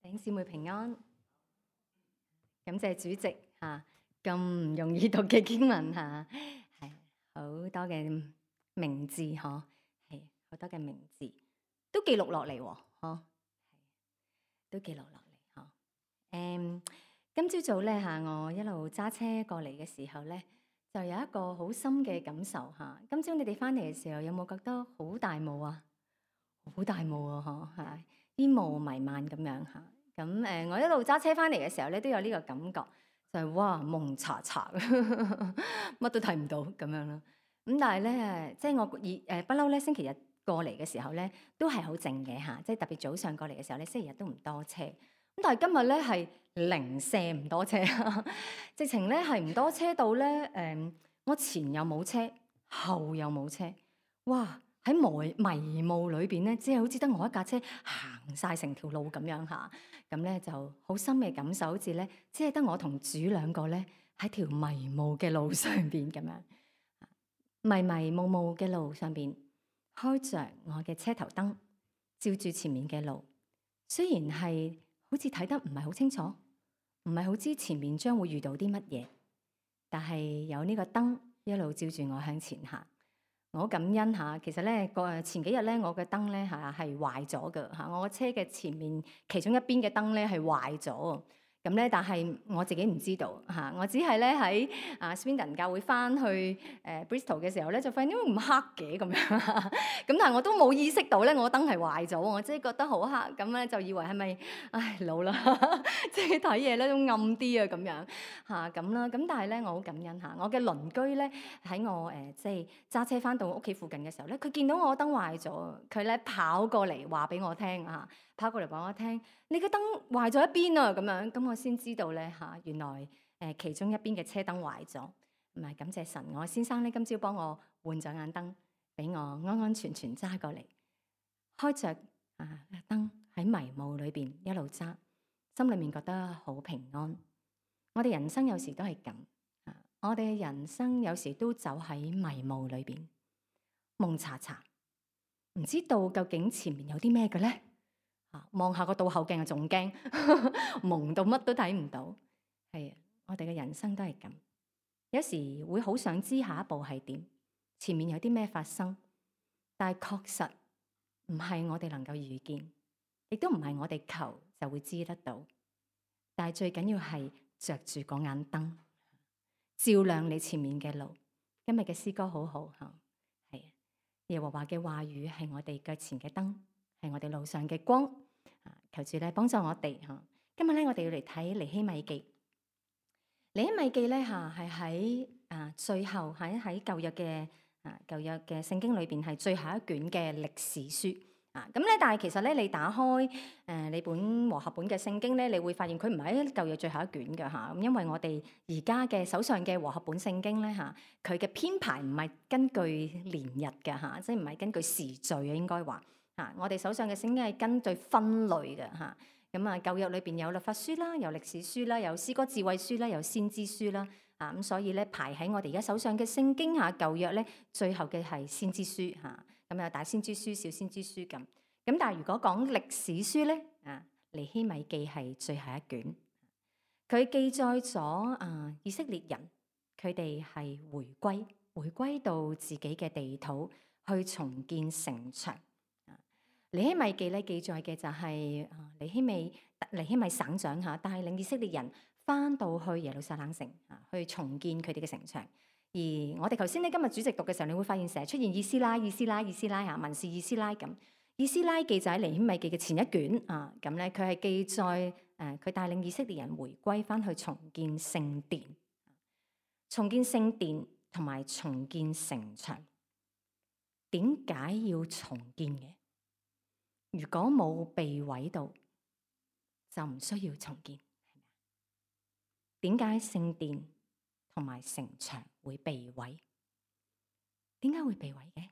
弟兄姊妹平安，感謝主席嚇咁唔容易讀嘅經文嚇，係好多嘅名字嗬，係好多嘅名字都記錄落嚟喎，嗬，都記錄落嚟嗬。今朝早咧嚇，我一路揸車過嚟嘅時候咧，就有一個好深嘅感受嚇。今朝你哋翻嚟嘅時候，有冇覺得好大霧啊？好大霧啊！嗬，係煙霧彌漫咁樣嚇。咁我一路揸車翻嚟嘅時候咧，都有呢個感覺，就係哇蒙查查，乜都睇唔到咁樣咯。咁但係咧，即係我不嬲咧，星期日過嚟嘅時候咧，都係好靜嘅嚇。即係特別早上過嚟嘅時候咧，星期日都唔多車。咁但係今日咧係零舍唔多車，直情咧係唔多車到咧我前又冇車，後又冇車，哇！喺迷霧裏邊咧，只係好似得我一架車行晒成條路咁樣嚇，咁咧就好深嘅感受，好似咧只係得我同主兩個咧喺條迷霧嘅路上邊咁樣，迷迷霧霧嘅路上邊開着我嘅車頭燈，照住前面嘅路，雖然係好似睇得唔係好清楚，唔係好知前面將會遇到啲乜嘢，但係有呢個燈一路照住我向前行。我好感恩嚇，其實咧前幾日咧，我嘅燈咧係壞咗嘅嚇，我個車嘅前面其中一邊嘅燈咧係壞咗，咁咧但係我自己唔知道嚇，我只係咧喺Swindon 教會翻去Bristol 嘅時候咧，就發現點解唔黑嘅咁樣，咁但係我都冇意識到咧，我燈係壞咗，我即係覺得好黑，咁咧就以為係咪老啦，即係睇嘢咧都暗啲啊咁樣嚇咁啦，咁但係咧我好感恩嚇，我嘅鄰居咧喺我即係揸車翻到屋企附近嘅時候咧，佢見到我燈壞咗，佢咧跑過嚟話俾我聽嚇，跑過嚟話我聽，你嘅燈壞咗一邊啊咁樣，咁我先知道咧嚇，原來其中一邊嘅車燈壞咗，唔係感謝神，我先生咧今朝幫我換咗眼燈，俾我安安全全揸過嚟，開着燈喺迷霧裏邊一路揸，心裏面覺得好平安。我哋人生有時都係咁。我哋嘅人生有時都走喺迷霧裏邊，蒙查查，唔知道究竟前面有啲咩嘅咧？望下個倒後鏡啊，仲驚，蒙到乜都睇唔到。係啊，我哋嘅人生都係咁，有時會好想知下一步係點，前面有啲咩發生，但係確實唔係我哋能夠預見，亦都唔係我哋求就會知得到。但係最緊要係着住嗰眼燈，照亮你前面嘅路。今日嘅詩歌好好嚇，係耶和華嘅話語係我哋腳前嘅燈，係我哋路上嘅光。求主咧幫助我哋嚇。今日咧我哋要嚟睇尼希米記。尼希米記咧嚇係喺最後喺舊約嘅聖經裏邊係最後一卷嘅歷史書。咁咧，但係其實咧，你打開你本和合本嘅聖經咧，你會發現佢唔係喺舊約最後一卷嘅嚇。咁因為我哋而家嘅手上嘅和合本聖經咧嚇，佢嘅編排唔係根據年日嘅嚇，即係唔係根據時序啊，應該話嚇。我哋手上嘅聖經係根據分類嘅嚇。咁舊約裏邊有律法書啦，有歷史書啦，有詩歌智慧書啦，有先知書啦。咁所以咧排喺我哋而家手上嘅聖經嚇，舊約咧最後嘅係先知書嚇。咁有大先知書、小先知書咁。咁但係如果講歷史書咧，尼希米記係最後一卷。佢記載咗以色列人佢哋係回歸到自己嘅地土去重建城牆。尼希米記咧記載嘅就係尼希米省長嚇帶領以色列人翻到去耶路撒冷城去重建佢哋嘅城牆。而我哋頭先咧今日主席讀嘅時候，你會發現成日出現以斯拉嚇，文士以斯拉咁。以斯拉記就喺尼希米記嘅前一卷咁咧佢係記載佢帶領以色列人回歸翻去重建聖殿，同埋重建城牆。點解要重建嘅？如果冇被毀到，就唔需要重建。點解聖殿同埋城牆會被毀？點解會被毀嘅？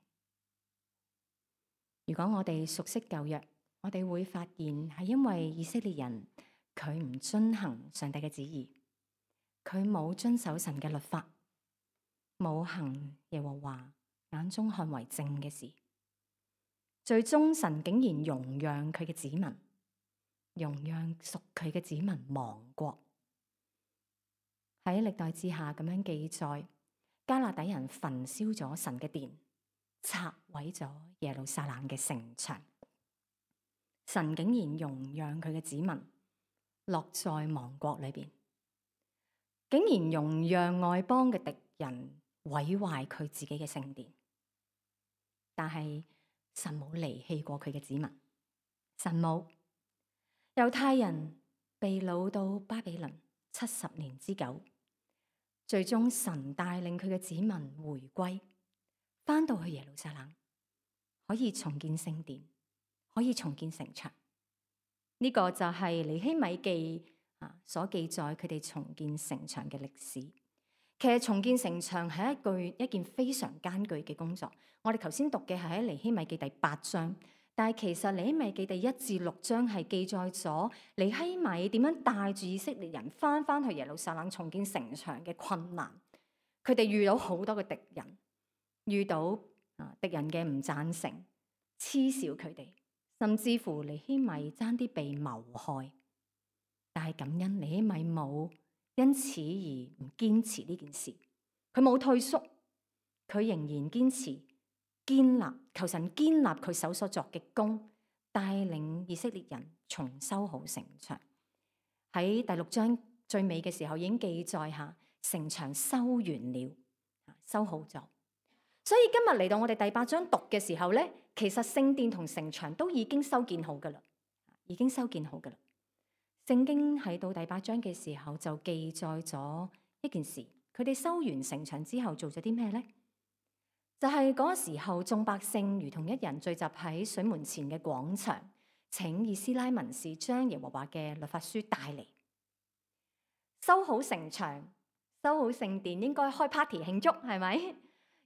如果我哋熟悉舊約，我哋會發現係因為以色列人佢唔遵行上帝嘅旨意，佢冇遵守神嘅律法，冇行耶和華眼中看為正嘅事，最終神竟然容讓佢嘅子民容讓屬佢嘅子民亡國。喺歷代志下咁樣記載，迦勒底人焚燒咗神嘅殿，拆毀咗耶路撒冷嘅城牆。神竟然容讓佢嘅子民落在亡國裏邊，竟然容讓外邦嘅敵人毀壞佢自己嘅聖殿。但係神冇離棄過佢嘅子民，神冇。猶太人被擄到巴比倫70年之久，最終神帶領佢嘅子民回歸，翻到去耶路撒冷，可以重建聖殿，可以重建城牆。呢個就係尼希米記所記載佢哋重建城牆嘅歷史。其實重建城牆係一件非常艱巨嘅工作。我哋頭先讀嘅係喺尼希米記第8章。但係其實尼希米記第1至6章係記載咗尼希米點樣帶住以色列人翻去耶路撒冷重建城牆嘅困難。佢哋遇到好多嘅敵人，遇到敵人嘅唔贊成、嗤笑佢哋，甚至乎尼希米爭啲被謀害。但係感恩尼希米冇因此而唔堅持呢件事，佢冇退縮，佢仍然堅持。建立，求神建立佢手所作嘅工，帶領以色列人重修好城牆。喺第6章最尾嘅時候已經記載下城牆修完了，修好咗。所以今日嚟到我哋第8章讀嘅時候咧，其實聖殿同城牆都已經修建好噶啦，已經修建好噶啦。聖經喺到第8章嘅時候就記載咗一件事，佢哋修完城牆之後做咗啲咩咧？就係嗰個時候，眾百姓如同一人聚集喺水門前嘅廣場，請以斯拉文士將耶和華嘅律法書帶嚟。修好城牆，修好聖殿，應該開 party 慶祝，係咪？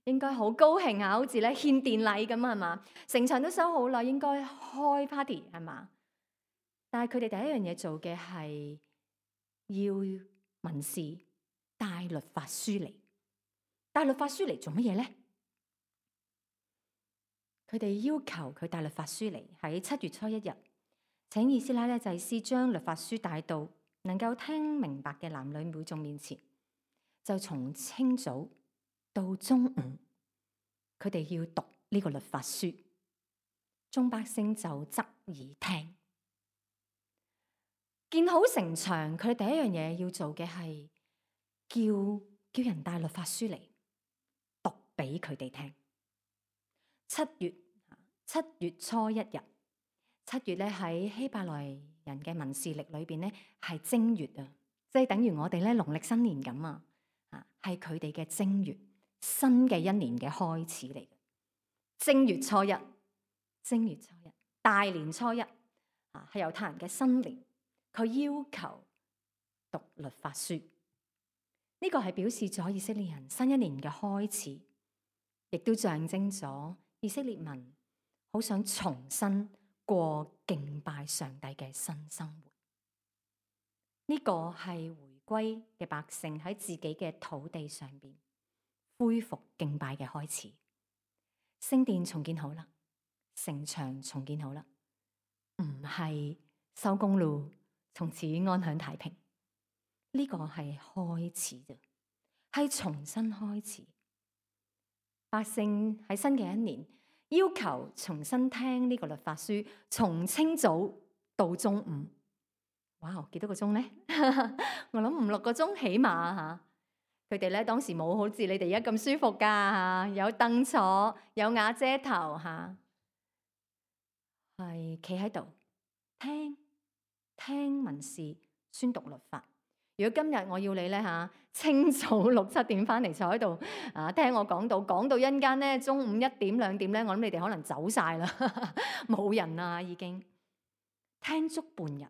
應該好高興啊，好似咧獻殿禮咁，係嘛？城牆都修好啦，應該開 party 係嘛？但係佢哋第一樣嘢做嘅係要文士帶律法書嚟。帶律法書嚟做乜嘢咧？佢哋要求佢帶律法書嚟，喺7月初1日，請以斯拉祭司將律法書帶到能夠聽明白嘅男女會眾面前。就從清早到中午，佢哋要讀呢個律法書，眾百姓就側耳聽。建好城牆，佢哋第一樣嘢要做嘅係叫人帶律法書嚟讀俾佢哋聽。7月初1日，7月咧喺希伯來人嘅民事曆裏邊咧係正月啊，即係等於我哋咧農曆新年咁啊，係佢哋嘅正月，新嘅一年嘅開始嚟嘅。正月初一，大年初一係猶太人嘅新年，佢要求讀律法書，呢個係表示咗以色列人新一年嘅開始，亦都象徵咗以色列民好想重新過敬拜上帝嘅新生活。呢個係回歸嘅百姓喺自己嘅土地上邊恢復敬拜嘅開始。聖殿重建好啦，城牆重建好啦，唔係收工咯，從此安享太平。呢個係開始啫，係重新開始。百姓喺新嘅一年要求重新聽呢個律法書，從清早到中午。哇，幾多個鐘咧？我諗5-6個鐘起碼吓。佢哋咧當時冇好似你哋而家咁舒服噶吓，有凳坐，有瓦遮頭吓，係企喺度聽文士宣讀律法。如果今日我要你咧吓，清早6-7點翻嚟坐喺度聽我講到一陣間咧中午1點2點咧，我諗你哋可能走晒啦，冇人啦已經。聽足半日，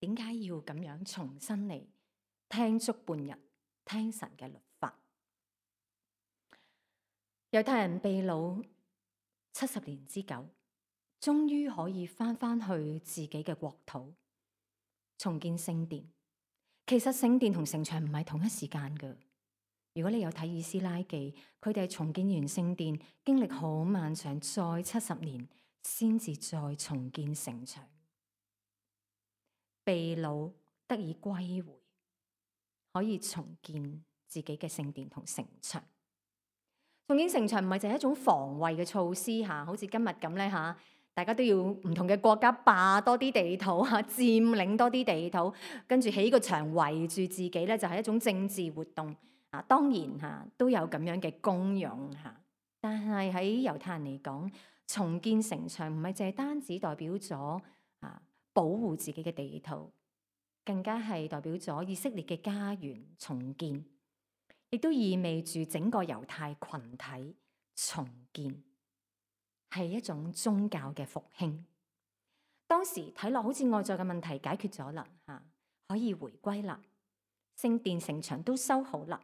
點解要咁樣重新嚟聽足半日？聽神嘅律法。猶太人被擄70年之久，終於可以翻去自己嘅國土，重建聖殿。其實聖殿同城牆唔係同一時間噶。如果你有睇以斯拉記，佢哋重建完聖殿，經歷好漫長，再70年先至再重建城牆。被擄得以歸回，可以重建自己嘅聖殿同城牆。重建城牆唔係淨係一種防衛嘅措施嚇，好似今日咁咧嚇，大家都要唔同嘅國家霸多啲地土嚇，佔領多啲地土，跟住起個牆圍住自己咧，就係一種政治活動啊。當然嚇都有咁樣嘅功用嚇，但係喺猶太人嚟講，重建城牆唔係淨係單止代表咗保護自己嘅地土，更加係代表咗以色列嘅家園重建，亦都意味住整個猶太群體重建，係一種宗教嘅復興。當時睇落好似外在嘅問題解決咗啦，可以回歸啦，聖殿城牆都修好啦，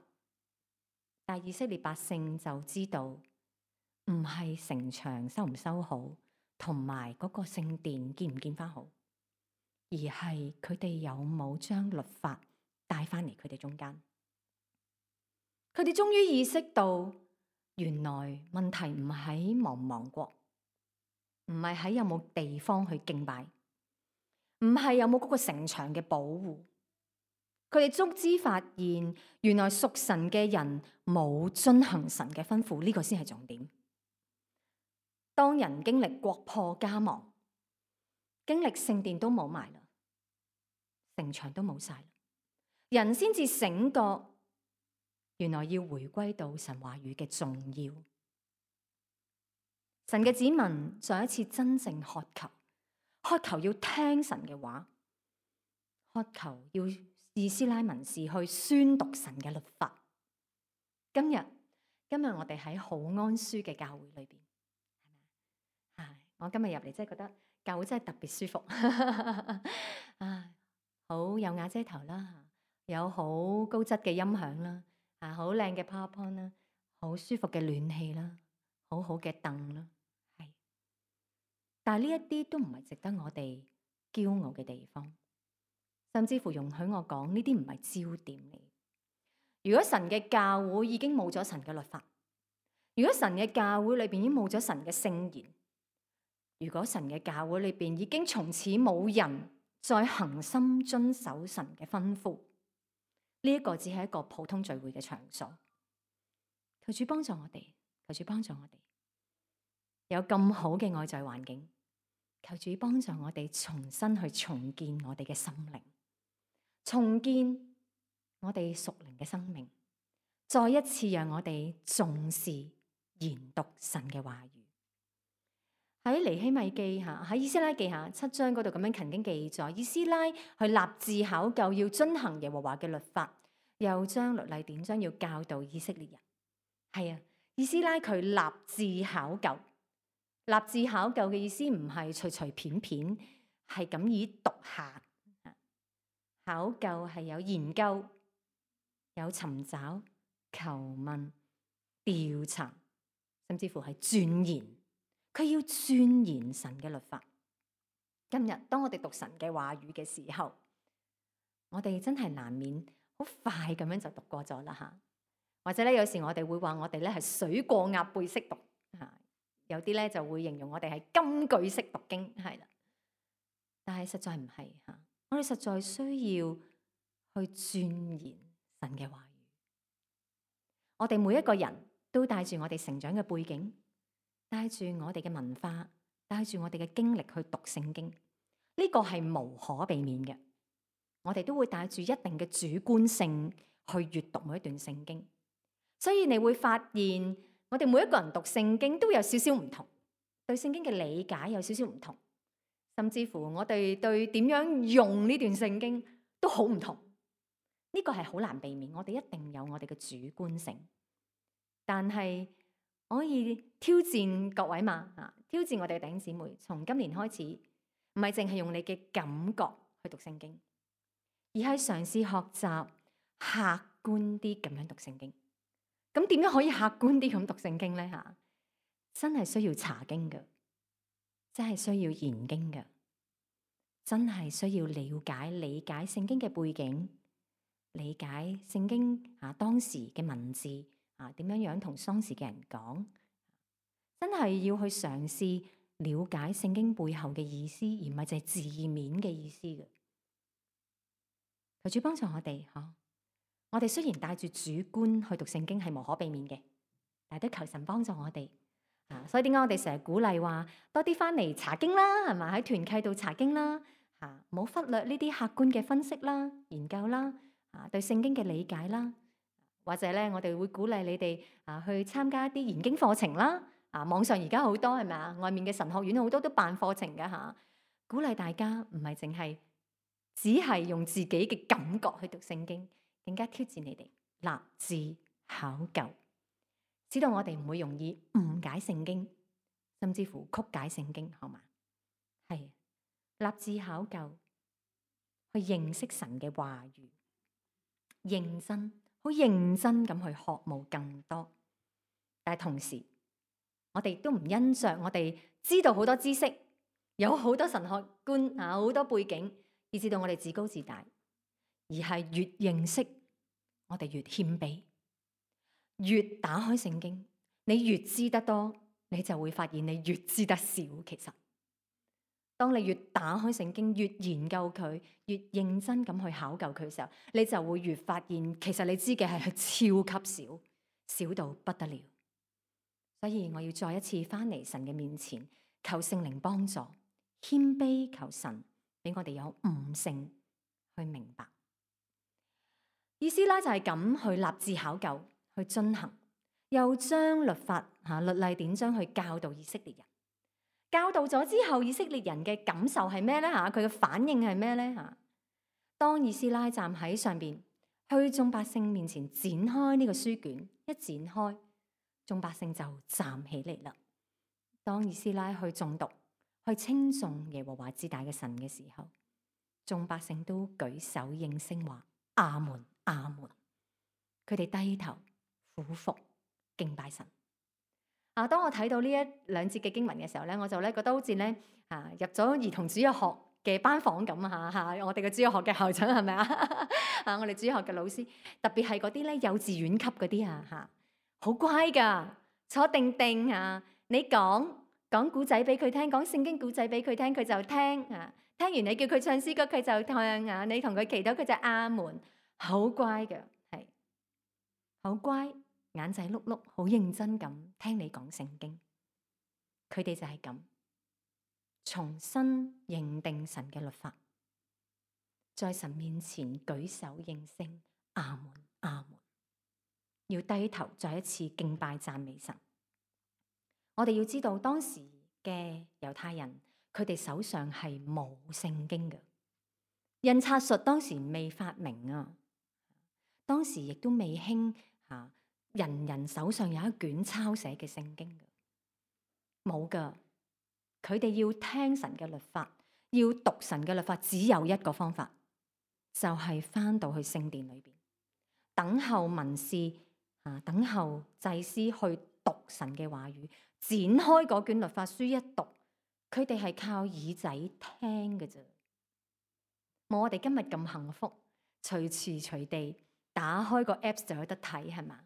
但以色列百姓就知道，唔係城牆修唔修好，同埋嗰個聖殿建唔建翻好，而係佢哋有冇將律法帶翻嚟佢哋中間。佢哋終於意識到，原來問題唔喺亡唔亡國，唔係喺有冇地方去敬拜，唔係有冇嗰個城牆嘅保護。佢哋足之發現，原來屬神嘅人冇遵行神嘅吩咐，呢個先係重點。當人經歷國破家亡，經歷聖殿都冇埋啦，城牆都冇晒啦，人先至醒覺，原來要回歸到神話語嘅重要。神嘅子民再一次真正渴求要聽神嘅話，渴求要以斯拉文士去宣讀神嘅律法。今日我哋喺好安舒嘅教會裏邊，我今日入嚟真係覺得教會真係特別舒服，好有瓦遮頭啦，有好高質嘅音響啦，好靚嘅 PowerPoint 啦，好舒服嘅暖氣啦，好好嘅凳啦，係。但係呢一啲都唔係值得我哋驕傲嘅地方，甚至乎容許我講呢啲唔係焦點嚟。如果神嘅教會已經冇咗神嘅律法，如果神嘅教會裏邊已經冇咗神嘅聖言，如果神嘅教會裏邊已經從此冇人再恆心遵守神嘅吩咐，呢一個只係一個普通聚會嘅場所。求主幫助我哋，求主幫助我哋有咁好嘅外在環境，求主幫助我哋重新去重建我哋嘅心靈，重建我哋屬靈嘅生命，再一次讓我哋重視研讀神嘅話語。喺尼希米記下，喺以斯拉記下7章嗰度咁樣曾經記載，以斯拉去立志考究要遵行耶和華嘅律法，又將律例典章要教導以色列人。係啊，以斯拉佢立志考究，立志考究嘅意思唔係隨隨便便，係咁以讀下。考究係有研究、有尋找、求問、調查，甚至乎係鑽研。佢要鑽研神嘅律法。今日當我哋讀神嘅話語嘅時候，我哋真係難免好快咁樣就讀過咗啦吓。或者咧，有時我哋會話我哋咧係水過鴨背式讀吓，有啲咧就會形容我哋係金句式讀經，係啦。但係實在唔係吓，我哋實在需要去鑽研神嘅話語。我哋每一個人都帶住我哋成長嘅背景，帶住我哋嘅文化，帶住我哋嘅經歷去讀聖經，呢個係無可避免嘅。我哋都會帶住一定嘅主觀性去閱讀每一段聖經，所以你會發現我哋每一個人讀聖經都有少少唔同，對聖經嘅理解有少少唔同，甚至乎我哋對點樣用呢段聖經都好唔同。呢個係好難避免，我哋一定有我哋嘅主觀性，但係我可以挑戰各位嘛，挑戰我哋嘅弟兄姊妹，從今年開始，唔係淨係用你嘅感覺去讀聖經，而係嘗試學習客觀啲咁樣讀聖經。咁點樣可以客觀啲咁讀聖經咧？吓，真係需要查經嘅，真係需要研經嘅，真係需要了解、理解聖經嘅背景，理解聖經當時嘅文字。點樣同當時嘅人講，真係要去嘗試了解聖經背後嘅意思，而唔係淨係字面嘅意思嘅。求主幫助我哋，我哋雖然帶住主觀去讀聖經係無可避免嘅，但係都求神幫助我哋。所以點解我哋成日鼓勵話多啲翻嚟查經啦，係咪？喺團契度查經啦，唔好忽略呢啲客觀嘅分析啦、研究啦，對聖經嘅理解啦，或者咧我哋會鼓勵你哋去參加一啲研經課程啦。網上而家好多係咪啊？外面嘅神學院好多都辦課程㗎嚇，鼓勵大家唔係淨係只係用自己嘅感覺去讀聖經，更加挑戰你哋立志考究，使到我哋唔會容易誤解聖經，甚至乎曲解聖經，好嘛？係立志考究，去認識神嘅話語，認真好認真咁去學慕更多。但係同時，我哋都唔因着我哋知道好多知識，有好多神學觀好多背景，以至到我哋自高自大，而係越認識我哋越謙卑，越打開聖經，你越知得多，你就會發現你越知得少。其實，當你越打開聖經，越研究佢，越認真咁去考究佢嘅時候，你就會越發現，其實你知嘅係超級少，少到不得了。所以我要再一次翻嚟神嘅面前，求聖靈幫助，謙卑求神俾我哋有悟性去明白。以斯拉就係咁去立志考究，去遵行，又將律法律例典章去教導以色列人。教導咗之後，以色列人嘅感受係咩呢？佢嘅反應係咩呢？當以斯拉站喺上邊，去眾百姓面前展開呢個書卷，一展開，眾百姓就站起嚟啦。當以斯拉去誦讀，去稱頌耶和華至大嘅神嘅時候，眾百姓都舉手應聲話阿門阿門。佢哋低頭俯伏敬拜神。當我睇到呢一兩節嘅經文嘅時候咧，我就咧覺得好似咧入咗兒童主日學嘅班房咁我哋嘅主日學嘅校長係咪我哋主日學嘅老師，特別係嗰啲咧幼稚園級嗰啲好乖噶，坐定定你講古仔俾佢聽，講聖經古仔俾佢聽，佢就聽聽完你叫佢唱詩歌，佢就唱你同佢祈禱，佢就阿門，好乖嘅，係好乖。眼仔碌碌，好認真咁聽你講聖經。佢哋就係咁重新認定神嘅律法，在神面前舉手應聲，阿門阿門，要低頭再一次敬拜讚美神。我哋要知道當時嘅猶太人，佢哋手上係冇聖經嘅，印刷術當時未發明啊，當時亦都未興人人手上有一卷抄寫嘅聖經嘅，冇噶。佢哋要聽神嘅律法，要讀神嘅律法，只有一個方法，就係翻到去聖殿裏邊，等候文士等候祭司去讀神嘅話語，展開嗰卷律法書一讀，佢哋係靠耳仔聽嘅啫，冇我哋今日咁幸福，隨時隨地打開個 apps 就有得睇，係嘛？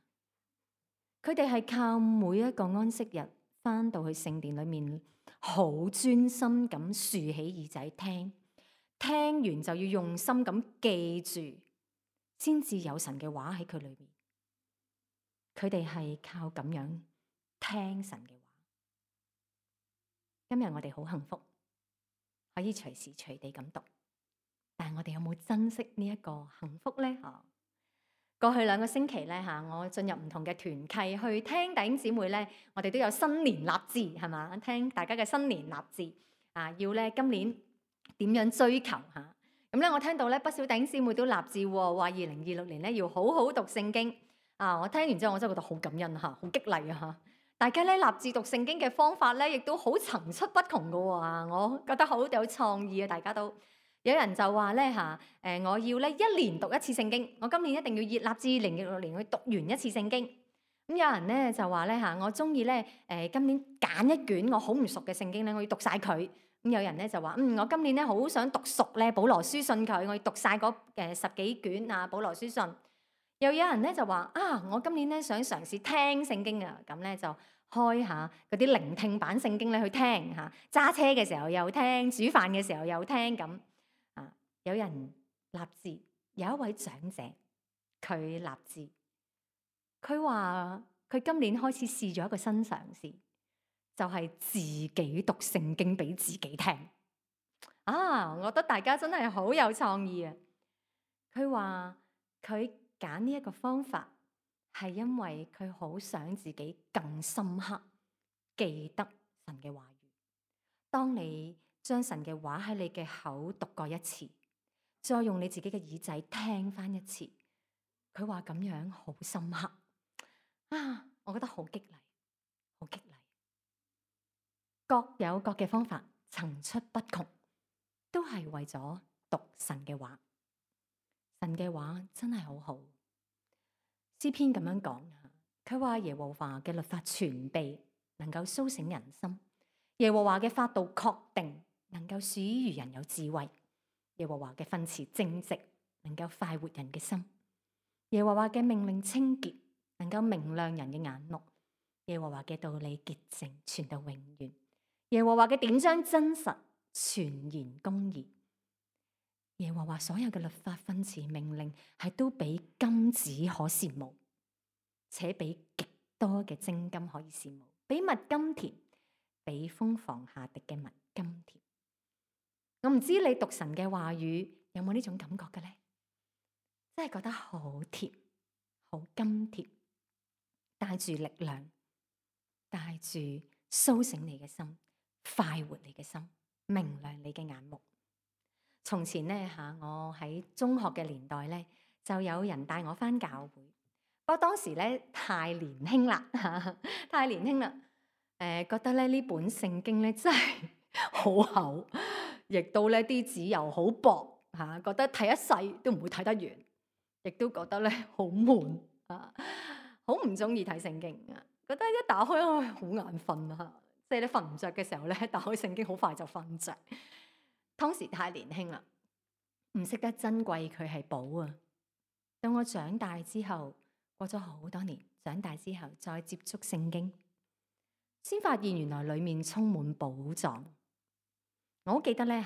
佢哋係靠每一個安息日翻到去聖殿裏面，好專心咁豎起耳仔聽，聽完就要用心咁記住，先至有神嘅話喺佢裏面。佢哋係靠咁樣聽神嘅話。今日我哋好幸福，可以隨時隨地咁讀，但係我哋有冇珍惜呢一個幸福呢？過去2個星期咧我進入唔同嘅團契去聽弟兄姊妹咧，我哋都有新年立志係嘛？聽大家嘅新年立志要咧今年點樣追求咁咧？我聽到咧不少弟兄姊妹都立志話2026年咧要好好讀聖經我聽完之後我真係覺得好感恩好激勵大家咧立志讀聖經嘅方法咧，亦都好層出不窮噶我覺得好有創意大家都。有人就話咧我要咧1年讀1次聖經，我今年一定要立志2026年去讀完1次聖經。咁有人咧就話咧我中意咧今年揀一卷我好唔熟嘅聖經咧，我要讀晒佢。咁有人咧就話我今年咧好想讀熟咧保羅書信佢，我要讀晒嗰10幾卷保羅書信。又有人咧就話我今年咧想嘗試聽聖經咁咧就開下嗰啲聆聽版聖經咧去聽揸車嘅時候又聽，煮飯嘅時候又聽咁。有人立志有一位長者，佢立志，佢話佢今年開始試咗一個新嘗試，就係自己讀聖經俾自己聽。啊，我覺得大家真係好有創意啊！佢話佢揀呢一個方法，係因為佢好想自己更深刻記得神嘅話語。當你將神嘅話喺你嘅口讀過一次，再用你自己嘅耳仔聽翻一次，佢話咁樣好深刻啊！我覺得好激勵，好激勵。各有各嘅方法，層出不窮，都係為咗讀神嘅話。神嘅話真係好好。詩篇咁樣講，佢話耶和華嘅律法全備，能夠蘇醒人心。耶和華嘅法度確定，能夠使愚人有智慧。耶和華嘅訓詞正直，能夠快活人嘅心。耶和華嘅命令清潔，能夠明亮人嘅眼目。耶和華嘅道理潔淨，傳到永遠。耶和華嘅典章真實，全然公義。耶和華所有嘅律法訓詞命令，係都比金子可羨慕，且比極多嘅精金可以羨慕，比蜜甘甜，比蜂房下滴嘅蜜甘甜。我唔知你讀神嘅話語有冇呢種感覺嘅咧？真係覺得好甜，好甘甜，帶住力量，帶住蘇醒你嘅心，快活你嘅心，明亮你嘅眼目。從前咧我喺中學嘅年代咧，就有人帶我返教會。不過當時咧太年輕啦，太年輕啦。覺得咧呢本聖經咧真係好厚，亦都咧啲紙又好薄嚇，覺得睇一世都唔會睇得完，亦都覺得咧好悶啊，好唔中意睇聖經啊。覺得一打開好眼瞓啊，即係你瞓唔着嘅時候咧，打開聖經好快就瞓着。當時太年輕啦，唔識得珍貴佢係寶啊！到我長大之後，過咗好多年，長大之後再接觸聖經，先發現原來裡面充滿寶藏。我好記得咧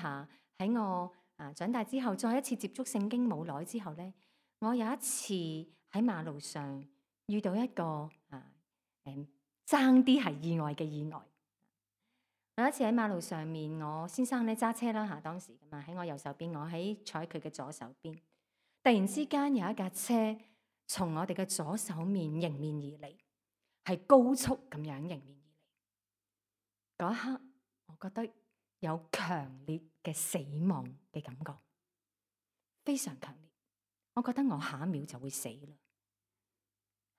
喺我長大之後，再一次接觸聖經冇耐之後咧，我有一次喺馬路上遇到一個爭啲係意外嘅意外。有一次喺馬路上面，我先生咧揸車啦當時咁啊，喺我右手邊，我喺坐喺佢嘅左手邊。突然之間有一架車從我哋嘅左手面迎面而嚟，係高速咁樣迎面而嚟。嗰一刻，我覺得有強烈嘅死亡嘅感覺，非常強烈。我覺得我下一秒就會死啦。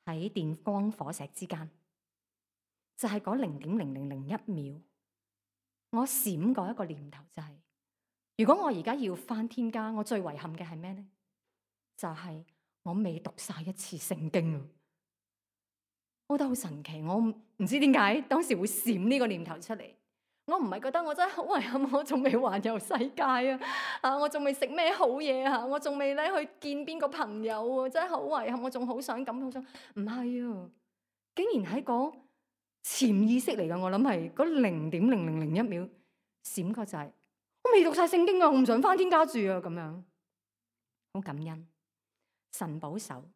喺電光火石之間，就係嗰0.0001秒。我閃過一個念頭，就係如果我而家要返天家，我最遺憾嘅係咩咧？就係我未讀晒一次聖經啊！我覺得好神奇，我唔知點解當時會閃呢個念頭出嚟。我唔係覺得我真係好遺憾，我仲未環遊世界啊！我仲未食咩好嘢啊！我仲未咧去見邊個朋友啊！真係好遺憾，我仲好想咁好想，唔係啊！竟然喺嗰潛意識嚟㗎，我諗係嗰0.0001秒閃過就係我未讀晒聖經啊，我唔想返天家住啊，咁樣好感恩神保守。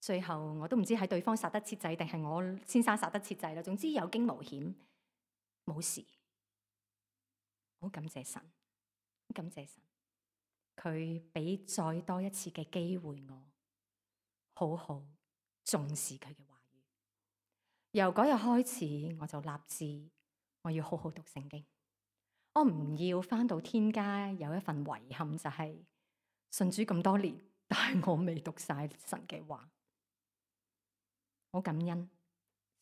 最後我都唔知係對方殺得切掣定係我先生殺得切掣啦。總之有驚無險，冇事，好感謝神，好感謝神，佢俾再多一次嘅機會我，好好重視佢嘅話。由嗰日開始，我就立志我要好好讀聖經。我唔要返到天家有一份遺憾，就係信主咁多年，但係我未讀晒神嘅話。好感恩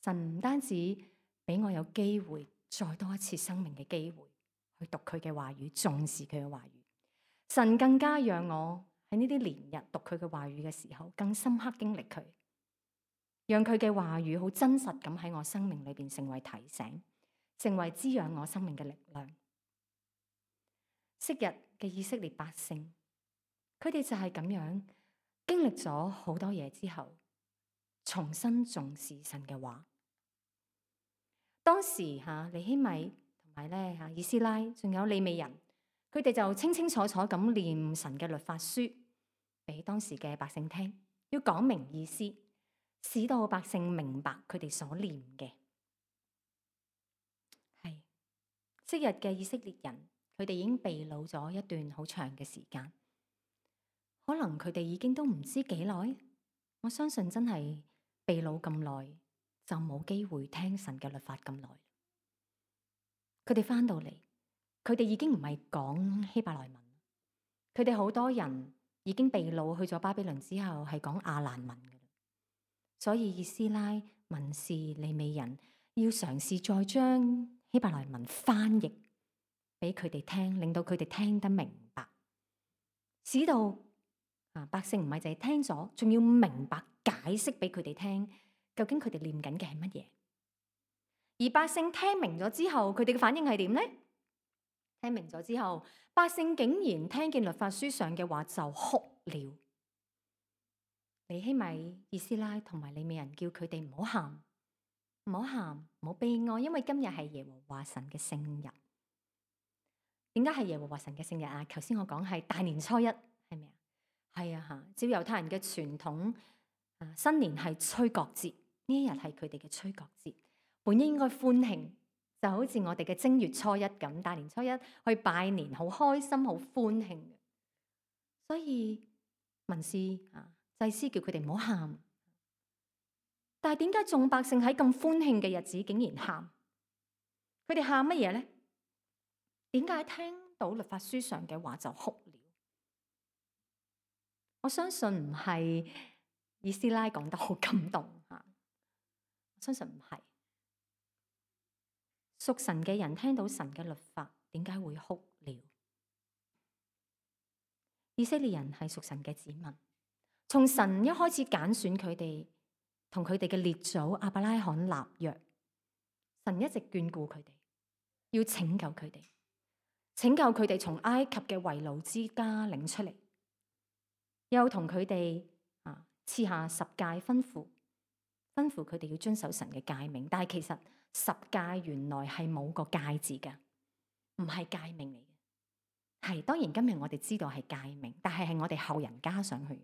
神唔單止俾我有機會再多一次生命嘅機會去讀佢嘅話語，重視佢嘅話語。神更加讓我喺呢啲年日讀佢嘅話語嘅時候，更深刻經歷佢。讓佢嘅話語好真實咁喺我生命裏邊成為提醒，成為滋養我生命嘅力量。昔日嘅以色列百姓，佢哋就係咁樣經歷咗好多嘢之後，重新重視神嘅話。當時尼希米同埋咧以斯拉，仲有利未人，佢哋就清清楚楚咁念神嘅律法書，當時嘅百姓聽，要講明意思，使到百姓明白佢哋所念嘅。係昔日嘅以色列人，佢哋已經被擄咗一段好長嘅時間，可能佢哋已經都唔知幾耐。我相信真係被擄咁耐，就冇機會聽神嘅律法咁耐。佢哋翻到嚟，佢哋已經唔係講希伯來文，佢哋好多人已經被擄去咗巴比倫之後，係講亞蘭文嘅。所以以斯拉、文士、利未人要嘗試再將希伯來文翻譯俾佢哋聽，令到佢哋聽得明白，使到百姓唔係淨係聽咗，仲要明白解釋俾佢哋聽，究竟佢哋念緊嘅係乜嘢。而百姓聽明咗之後，佢哋嘅反應係點呢？聽明咗之後，百姓竟然聽見律法書上嘅話就哭了。尼希米、以斯拉同埋利未人叫佢哋唔好喊，唔好喊，唔好悲哀，因為今日係耶和華神嘅聖日。點解係耶和華神嘅聖日啊？頭先我講係大年初一，係咪啊？係啊吓，照猶太人嘅傳統，新年係吹角節，呢一日係佢哋嘅吹角節，本應該歡慶，就好似我哋嘅正月初一咁，大年初一去拜年，好開心，好歡慶嘅。所以文士祭司叫佢哋唔好喊，但係點解眾百姓喺咁歡慶嘅日子竟然喊？佢哋喊乜嘢咧？點解聽到律法書上嘅話就哭了？我相信唔係以斯拉講得好感動吓，我相信唔係。屬神嘅人聽到神嘅律法，點解會哭了？以色列人係屬神嘅子民，從神一開始揀選佢哋，同佢哋嘅列祖亞伯拉罕立約，神一直眷顧佢哋，要拯救佢哋，拯救佢哋從埃及嘅為奴之家領出嚟，又同佢哋賜下十誡吩咐佢哋要遵守神嘅誡命。但係其實十誡原來係冇個誡字嘅，唔係誡命嚟嘅。係當然今日我哋知道係誡命，但係我哋後人加上去。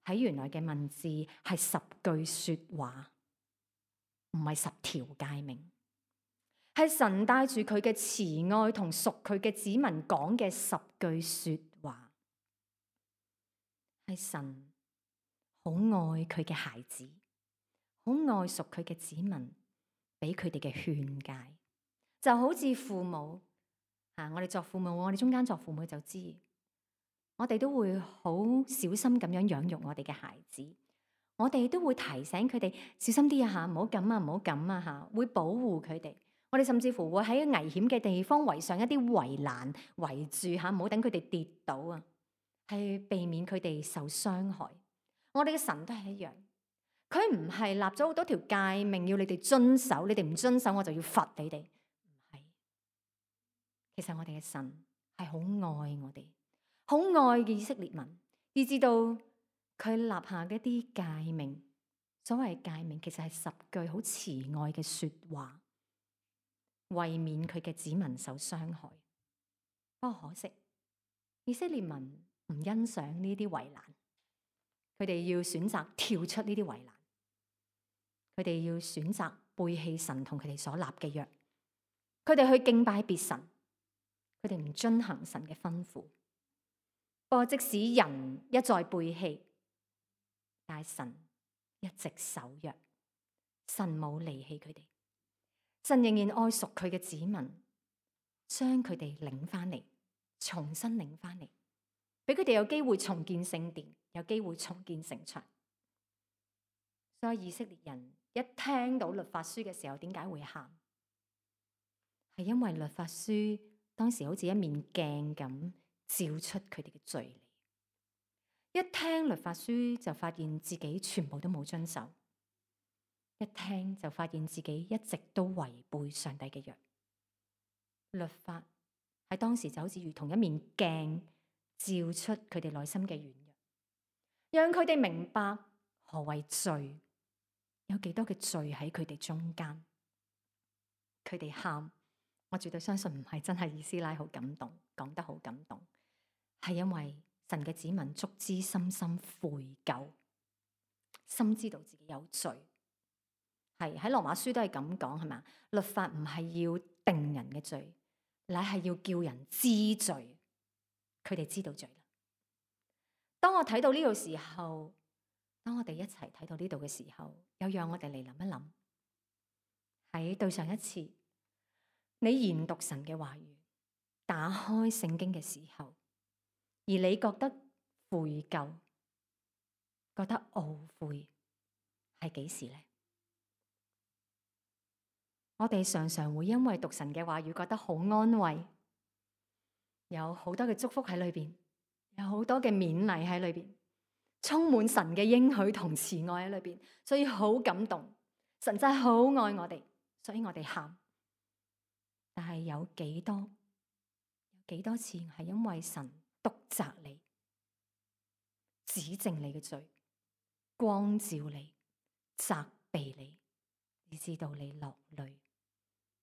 喺原來嘅文字係10句說話，唔係10條誡命，係神帶住佢嘅慈愛同屬佢嘅子民講嘅10句說話，係神好愛佢嘅孩子，好愛屬佢嘅子民，俾佢哋嘅勸誡，就好似父母我哋作父母，我哋中間作父母就知，我哋都會好小心咁樣養育我哋嘅孩子，我哋都會提醒佢哋小心啲啊，唔好咁啊，唔好咁啊吓，會保護佢哋。我哋甚至乎會喺危險嘅地方圍上一啲圍欄圍住吓，唔好等佢哋跌倒啊，係避免佢哋受傷害。我哋嘅神都係一樣，佢唔係立咗好多條誡命要你哋遵守，你哋唔遵守我就要罰你哋。唔係，其實我哋嘅神係好愛我哋，好愛嘅以色列民，以至到佢立下嘅一啲誡命。所謂誡命其實係10句好慈愛嘅說話，為免佢嘅子民受傷害。不過可惜，以色列民唔欣賞呢啲圍欄，佢哋要選擇跳出呢啲圍欄，佢哋要選擇背棄神同佢哋所立嘅約，佢哋去敬拜別神，佢哋唔遵行神嘅吩咐。不過即使人一再背棄，但係神一直守約，神冇離棄佢哋，神仍然愛屬佢嘅子民，將佢哋領翻嚟，重新領翻嚟，俾佢哋有機會重建聖殿，有機會重建城牆。所以以色列人一聽到律法書嘅時候，點解會喊？係因為律法書當時好似一面鏡咁，照出佢哋嘅罪嚟。一聽律法書就發現自己全部都冇遵守，一聽就發現自己一直都違背上帝嘅約。律法喺當時就好似如同一面鏡，照出佢哋內心嘅軟弱，讓佢哋明白何謂罪，有幾多嘅罪喺佢哋中間。佢哋喊，我絕對相信唔係真係以斯拉好感動，講得好感動，係因為神嘅子民足之深深悔疚，深知道自己有罪。係喺羅馬書都係咁講，係咪？律法唔係要定人嘅罪，乃係要叫人知罪。佢哋知道罪啦。當我睇到呢度時候，當我哋一齊睇到呢度嘅時候，又讓我哋嚟諗一諗，喺對上一次你研讀神嘅話語，打開聖經嘅時候，而你覺得悔疚、覺得懊悔，係幾時呢？我哋常常會因為讀神嘅話語覺得好安慰，有好多嘅祝福喺裏邊，有好多嘅勉勵喺裏邊，充滿神嘅應許同慈愛喺裏邊，所以好感動。神真係好愛我哋，所以我哋喊。但係有幾多次係因為神督責你、指正你嘅罪、光照你、責備你，以致到你落淚，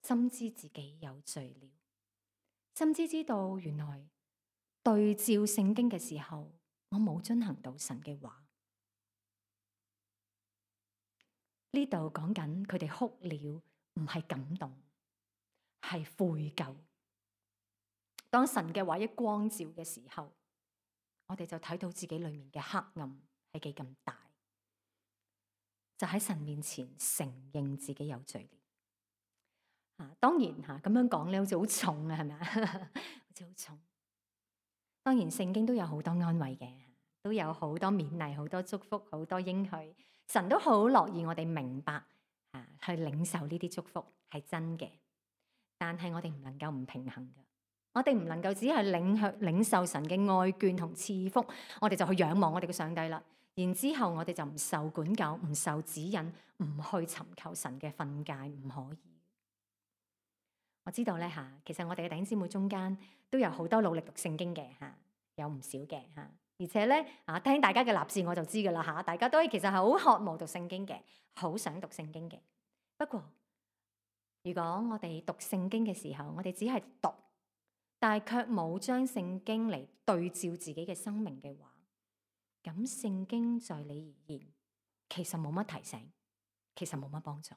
深知自己有罪了，深知道原來對照聖經嘅時候，我冇遵行到神嘅話。呢度講緊佢哋哭了，唔係感動，係悔疚。當神嘅話一光照嘅時候，我哋就睇到自己裏面嘅黑暗係幾咁大，就喺神面前承認自己有罪了。當然咁樣講咧，好似好重啊，係咪啊？好似好重。當然聖經都有好多安慰嘅，都有好多勉勵、好多祝福、好多應許。神都好樂意我哋明白去領受呢啲祝福係真嘅，但係我哋唔能夠唔平衡嘅。我哋唔能夠只係領受神嘅愛眷同賜福，我哋就去仰望我哋嘅上帝啦。然之後我哋就唔受管教、唔受指引、唔去尋求神嘅訓誡，唔可以。我知道咧其實我哋嘅弟兄姊妹中間都有好多努力讀聖經嘅有唔少嘅而且咧聽大家嘅立志我就知噶啦大家都其實係好渴望讀聖經嘅，好想讀聖經嘅。不過如果我哋讀聖經嘅時候，我哋只係讀，但係卻冇將聖經嚟對照自己嘅生命嘅話，咁聖經在你而言其實冇乜提醒，其實冇乜幫助。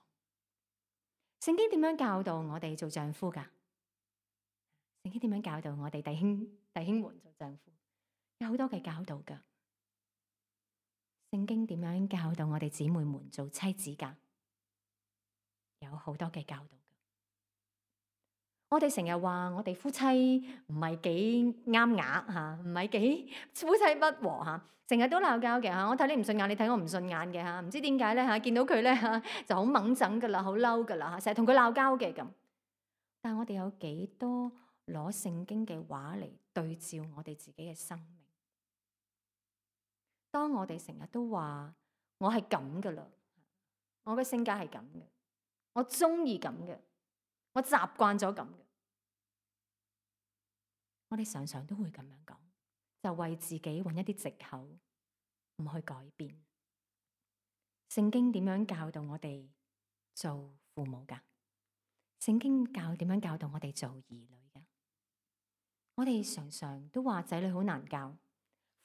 聖經點樣教導我哋做丈夫噶？聖經點樣教導我哋弟兄們做丈夫？有好多嘅教導噶。聖經點樣教導我哋姊妹們做妻子噶？有好多嘅教導噶。我哋成日話我哋夫妻唔係幾啱牙唔係幾夫妻不和成日都鬧交嘅我睇你唔順眼，你睇我唔順眼嘅唔知點解咧見到佢咧就好掹整噶啦，好嬲噶啦成日同佢鬧交嘅咁。但係我哋有幾多攞聖經嘅話嚟對照我哋自己嘅生命？當我哋成日都話我係咁噶啦，我嘅性格係咁嘅，我中意咁嘅，我習慣咗咁嘅，我哋常常都會咁樣講，就為自己揾一啲藉口唔去改變。聖經點樣教導我哋做父母噶？聖經點樣教導我哋做兒女噶？我哋常常都話仔女好難教，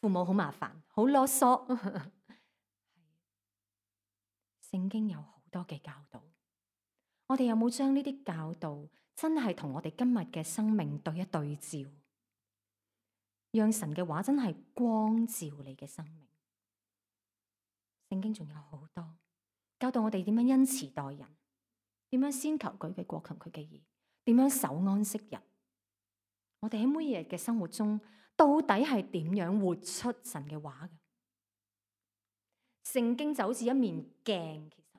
父母好麻煩，好囉嗦。聖經有好多嘅教導，我哋有冇將呢啲教導真係同我哋今日嘅生命對一對照，讓神嘅話真係光照你嘅生命？聖經仲有好多教導我哋點樣恩慈待人，點樣先求佢嘅國強佢嘅義，點樣守安息日。我哋喺每日嘅生活中到底係點樣活出神嘅話嘅？聖經就好似一面鏡，其實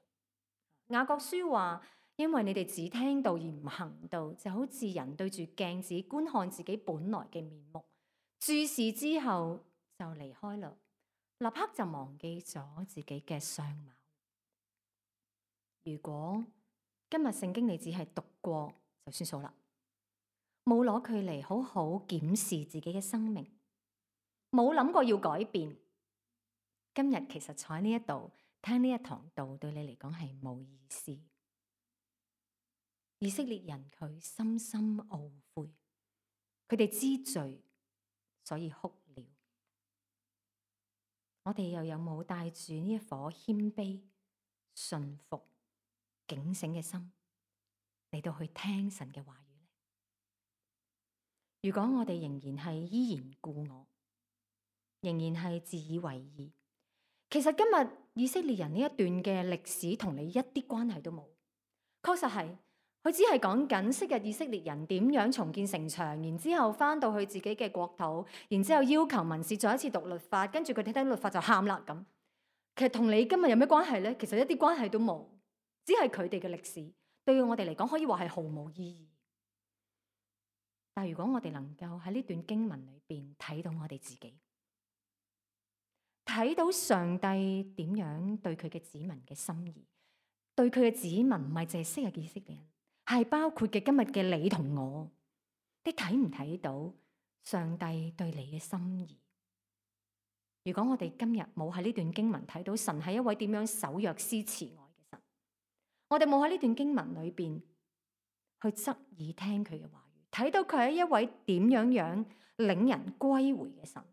雅各書話，因為你哋只聽道而唔行道，就好似人對住鏡子觀看自己本來嘅面目，注視之後就離開啦，立刻就忘記咗自己嘅相貌。如果今日聖經你只係讀過就算數啦，冇攞佢嚟好好檢視自己嘅生命，冇諗過要改變，今日其實坐喺呢一度聽呢一堂道，對你嚟講係冇意思。以色列人佢深深懊悔，佢哋知罪，所以哭了。我哋又有冇帶住呢一顆謙卑、順服、警醒嘅心嚟到去聽神嘅話語呢？如果我哋仍然係依然故我，仍然係自以為義，其實今日以色列人呢一段嘅歷史同你一啲關係都冇。確實係，佢只係講緊昔日以色列人點樣重建城牆，然之後翻到去自己嘅國土，然之後要求文士再一次讀律法，跟住佢哋聽律法就喊啦咁。其實同你今日有咩關係呢？其實一啲關係都冇，只係佢哋嘅歷史，對我哋嚟講可以話係毫無意義。但如果我哋能夠喺呢段經文裏邊睇到我哋自己，睇到上帝點樣對佢嘅子民嘅心意，對佢嘅子民唔係淨係昔日嘅以色列人，係包括嘅今日嘅你同我，你睇唔睇到上帝對你嘅心意？如果我哋今日冇喺呢段經文睇到神係一位點樣守約施慈愛嘅神，我哋冇喺呢段經文裏邊去側耳聽佢嘅話語，睇到佢係一位點樣樣領人歸回嘅神，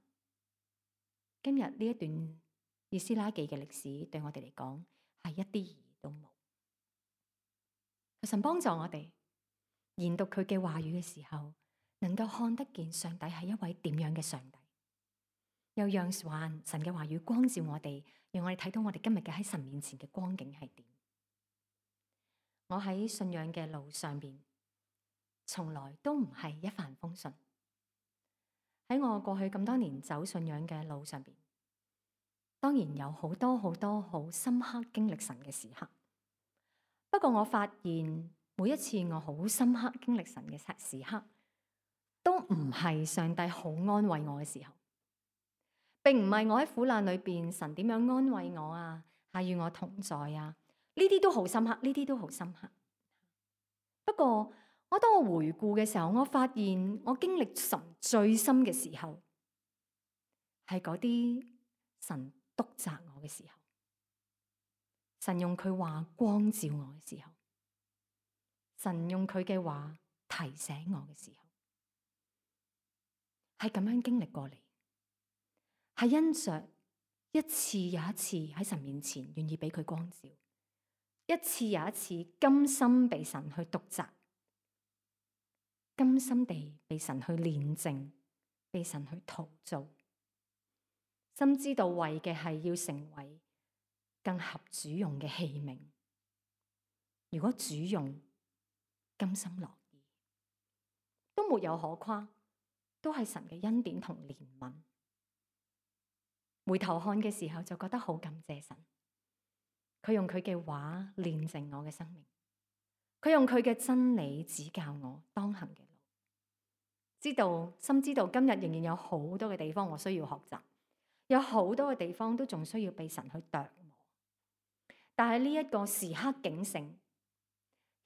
今日呢一段以斯拉記嘅歷史對我哋嚟講係一啲意義都冇。神幫助我哋研讀佢嘅話語嘅時候，能夠看得見上帝係一位點樣嘅上帝，又讓神嘅話語光照我哋，讓我哋睇到我哋今日嘅喺神面前嘅光景係點。我喺信仰嘅路上邊，從來都唔係一帆風順。喺我過去咁多年走信仰嘅路上邊，當然有好多好深刻經歷神嘅時刻。不過我發現每一次我好深刻經歷神嘅時刻，都唔係上帝好安慰我嘅時候，並唔係我喺苦難裏邊神點樣安慰我啊，係與我同在啊，呢啲都好深刻，呢啲都好深刻。不過當我回顧嘅時候，我發現我經歷神最深嘅時候，係嗰啲神督責我嘅時候，神用佢話光照我嘅時候，神用佢嘅話提醒我嘅時候，係咁樣經歷過嚟，係因着一次又一次喺神面前願意俾佢光照，一次又一次甘心被神去督責，甘心地被神去煉淨，被神去陶造，深知道為嘅係要成為更合主用嘅器皿。如果主用甘心樂意，都沒有可誇，都係神嘅恩典同憐憫。回頭看嘅時候就覺得好感謝神，佢用佢嘅話煉淨我嘅生命，佢用佢嘅真理指教我當行嘅路。深知道今日仍然有好多嘅地方我需要學習，有好多嘅地方都仲需要被神去琢磨。但係呢一個時刻警醒、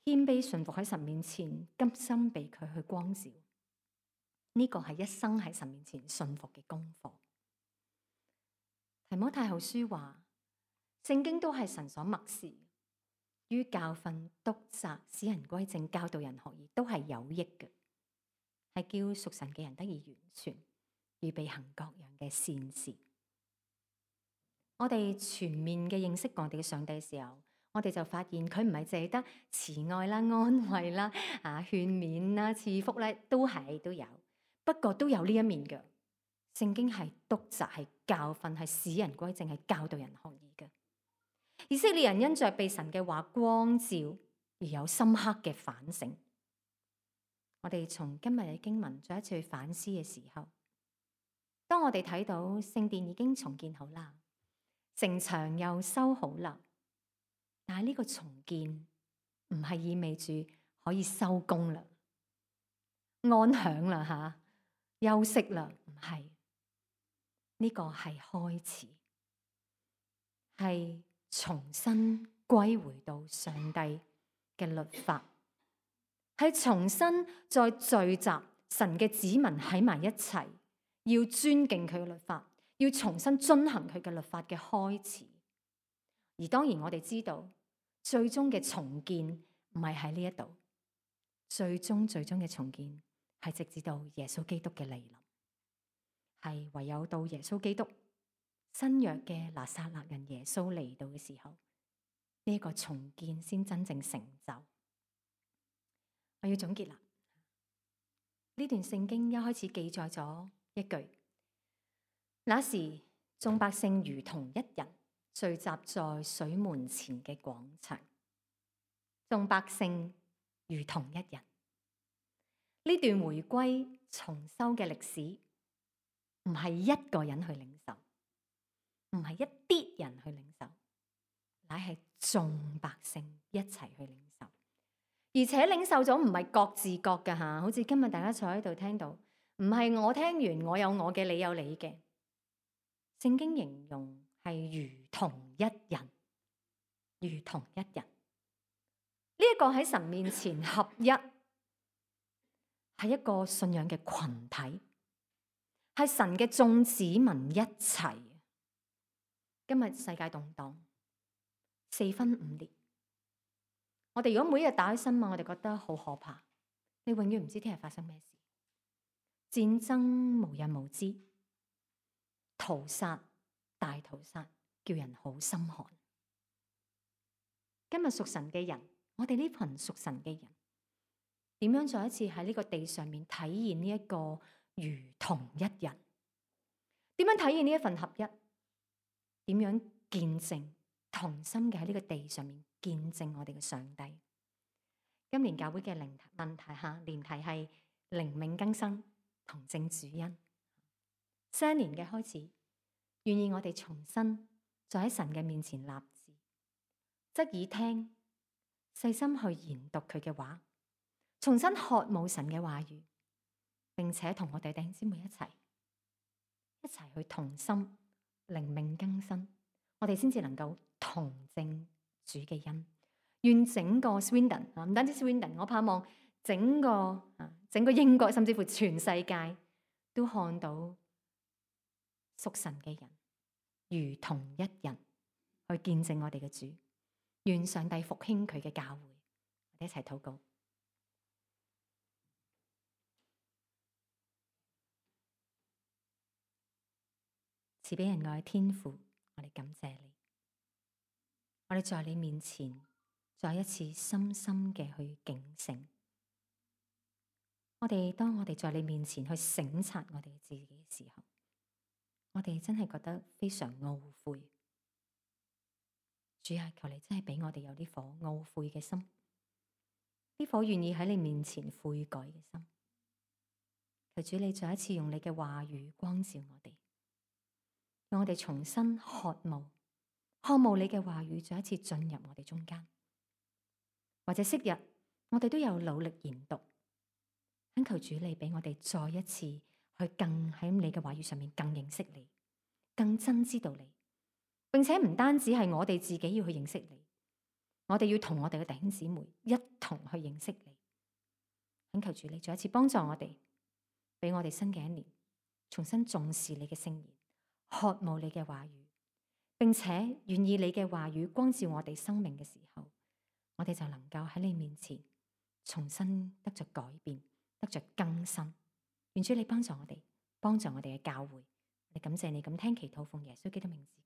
謙卑順服喺神面前，甘心被佢去光照，呢個係一生喺神面前順服嘅功課。提摩太後書話，聖經都係神所默示，於教訓、督責、使人歸正、教導人學義，都係有益嘅，係叫屬神嘅人得以完全，預備行各樣嘅善事。我哋全面嘅認識我哋嘅上帝嘅時候，我哋就發現佢唔係淨係得慈愛啦、安慰啦、勸勉啦、賜福咧，都有，不過都有呢一面嘅。聖經係督責、係教訓、係使人歸正、係教導人學義嘅。以色列人因着被神嘅話光照而有深刻嘅反省。我哋從今日嘅經文再一次去反思嘅時候，當我哋睇到聖殿已經重建好啦，城牆又修好啦，但係呢個重建唔係意味住可以收工啦、安享啦、休息啦，唔係。呢個係開始，係重新歸回到上帝嘅律法，係重新再聚集神嘅子民喺埋一齊，要尊敬佢嘅律法，要重新遵行佢嘅律法嘅開始。而當然我哋知道，最終嘅重建唔係喺呢一度，最終嘅重建係直至到耶穌基督嘅嚟臨。係唯有到耶穌基督新約嘅拿撒勒人耶穌嚟到嘅時候，呢一個重建先真正成就。我要總結啦，呢段聖經一開始記載咗一句：那時眾百姓如同一人，聚集在水門前嘅廣場。眾百姓如同一人，呢段回歸重修嘅歷史，唔係一個人去領受，唔係一啲人去領受，乃係眾百姓一齊去領受。而且領受咗唔係各自各㗎吓，好似今日大家坐喺度聽到，唔係我聽完我有我嘅，你有你嘅。聖經形容係如同一人，如同一人。呢一個喺神面前合一，係一個信仰嘅群體，係神嘅眾子民一齊。今日世界動盪，四分五裂。我哋如果每日打開新聞，我哋覺得好可怕。你永遠唔知聽日發生咩事，戰爭無日無之，屠殺大屠殺，叫人好心寒。今日屬神嘅人，我哋呢群屬神嘅人，點樣再一次喺呢個地上面體現呢一個如同一人？點樣體現呢一份合一？點樣見證同心嘅喺呢個地上面見證我哋嘅上帝？今年教會嘅年題係靈命更新同證主恩。新年嘅開始，願意我哋重新再喺神嘅面前立志，側耳聽，細心去研讀佢嘅話，重新渴慕神嘅話語，並且同我哋弟兄姊妹一齊去同心靈命更新，我哋先至能夠同證主嘅恩。願整個 Swindon 唔單止 Swindon， 我盼望整個英國，甚至乎全世界都看到屬神嘅人如同一人去見證我哋嘅主。願上帝復興佢嘅教會，我哋一齊禱告。慈悲仁愛天父，我哋感謝你，我哋在你面前再一次深深嘅去警醒。當我哋在你面前去省察我哋自己嘅時候，我哋真係覺得非常懊悔。主啊，求你真係俾我哋有呢顆懊悔嘅心，呢顆願意喺你面前悔改嘅心。求主你再一次用你嘅話語光照我哋，讓我哋重新渴慕你嘅話語再一次進入我哋中間。或者昔日我哋都有努力研讀，懇求主你俾我哋再一次去更喺你嘅話語上面更認識你，更真知道你，並且唔單止係我哋自己要去認識你，我哋要同我哋嘅弟兄姊妹一同去認識你。懇求主你再一次幫助我哋，俾我哋新嘅一年重新重視你嘅聖言，渴慕你嘅話語，並且願意你嘅話語光照我哋生命嘅時候，我哋就能夠喺你面前重新得着改變，得着更新。願主你幫助我哋，幫助我哋嘅教會。我哋感謝你咁聽祈禱，奉耶穌基督名字。